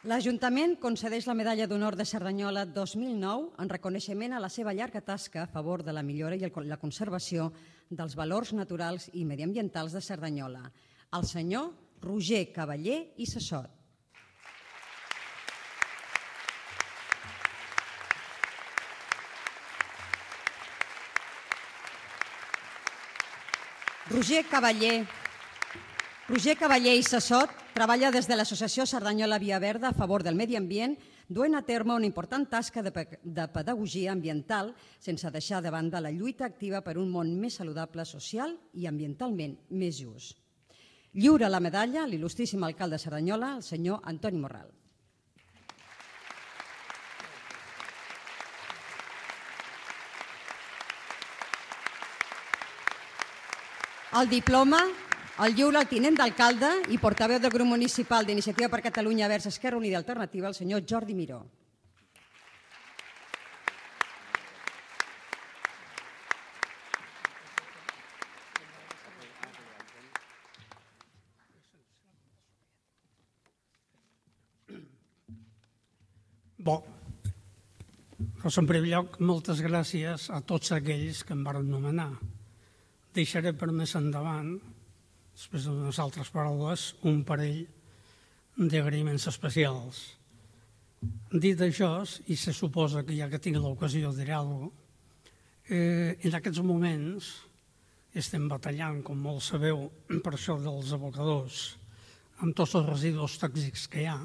L'Ajuntament concedeix la Medalla d'Honor de Cerdanyola 2009 en reconeixement a la seva llarga tasca a favor de la millora i la conservació dels valors naturals i mediambientals de Cerdanyola. El senyor Roger Cavallé i Sassot. Roger Cavallé i Sassot treballa des de l'Associació Cerdanyola Via Verda a favor del medi ambient, duent a terme una important tasca de pedagogia ambiental sense deixar de banda la lluita activa per un món més saludable social i ambientalment més just. Lliura la medalla l'il·lustríssim alcalde de Cerdanyola, el senyor Antoni Morral. El diploma el lliura el tinent d'alcalde i portaveu del grup municipal d'Iniciativa per Catalunya Verds Esquerra Unida i Alternativa, el senyor Jordi Miró. Bon, doncs en primer lloc, moltes gràcies a tots aquells que em van nomenar. Deixaré per més endavant, després d'unes altres paraules, un parell d'agraïments especials. Dit això, i se suposa que ja que tinc l'ocasió de dir alguna cosa, en aquests moments estem batallant, com molt sabeu, per això dels abocadors, amb tots els residus tòxics que hi ha,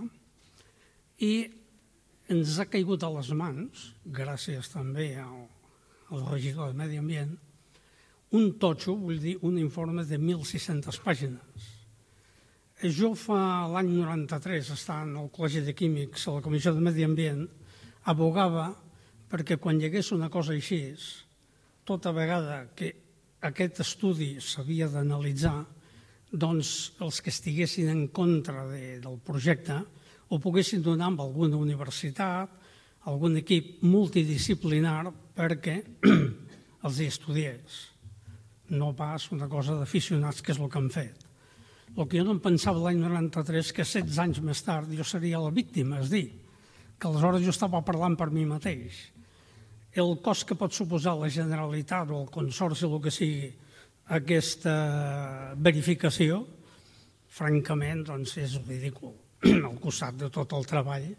i ens ha caigut a les mans, gràcies també al regidor de Medi Ambient, un totxo, vull dir, un informe de 1.600 pàgines. Jo l'any 93, estant al Col·legi de Químics, a la Comissió de Medi Ambient, abogava perquè quan hi hagués una cosa així, tota vegada que aquest estudi s'havia d'analitzar, doncs els que estiguessin en contra del projecte ho poguessin donar amb alguna universitat, algun equip multidisciplinar perquè els hi estudiés. No pas una cosa d'aficionats, que és el que han fet. El que jo no em pensava l'any 93 que 16 anys més tard jo seria la víctima, és dir, que aleshores jo estava parlant per mi mateix. El cost que pot suposar la Generalitat o el Consorci, el que sigui, aquesta verificació, francament, doncs és ridícul al costat de tot el treball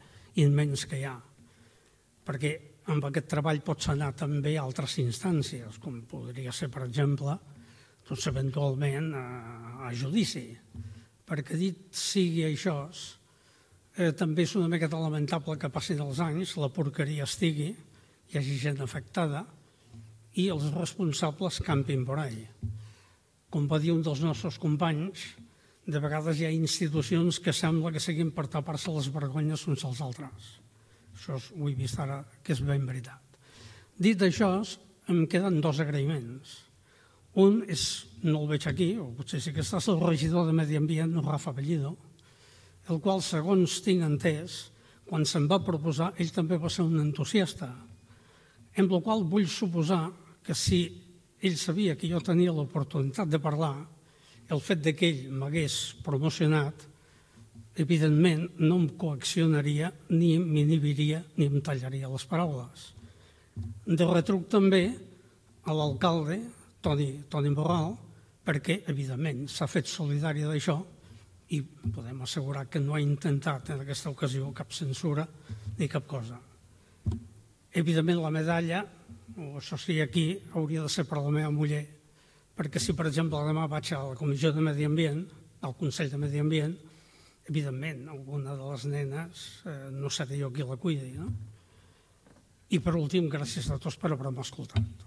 immens que hi ha. Perquè amb aquest treball pots anar també a altres instàncies, com podria ser, per exemple, doncs eventualment a judici. Perquè dit sigui això, també és una miqueta lamentable que passin els anys, la porqueria estigui, hi hagi gent afectada i els responsables campin per ahí. Com va dir un dels nostres companys, de vegades hi ha institucions que sembla que siguin per tapar-se les vergonyes uns als altres. Això ho he vist ara, que és ben veritat. Dit això, em queden dos agraïments. Un és, no el veig aquí, o potser sí que estàs, el regidor de Medi Ambient, Rafa Bellido, el qual, segons tinc entès, quan se'm va proposar, ell també va ser un entusiasta, amb la qual vull suposar que si ell sabia que jo tenia l'oportunitat de parlar, el fet que ell m'hagués promocionat, evidentment no em coaccionaria, ni m'inhibiria, ni em tallaria les paraules. De retruc també a l'alcalde, Toni Morral, perquè, evidentment, s'ha fet solidari d'això i podem assegurar que no ha intentat en aquesta ocasió cap censura ni cap cosa. Evidentment, la medalla, o això sí, aquí, hauria de ser per la meva muller, perquè si, per exemple, demà vaig a la Comissió de Medi Ambient, al Consell de Medi Ambient, evidentment, alguna de les nenes no seré jo qui la cuidi, no? I per últim, gràcies a tots per haver-me escoltat.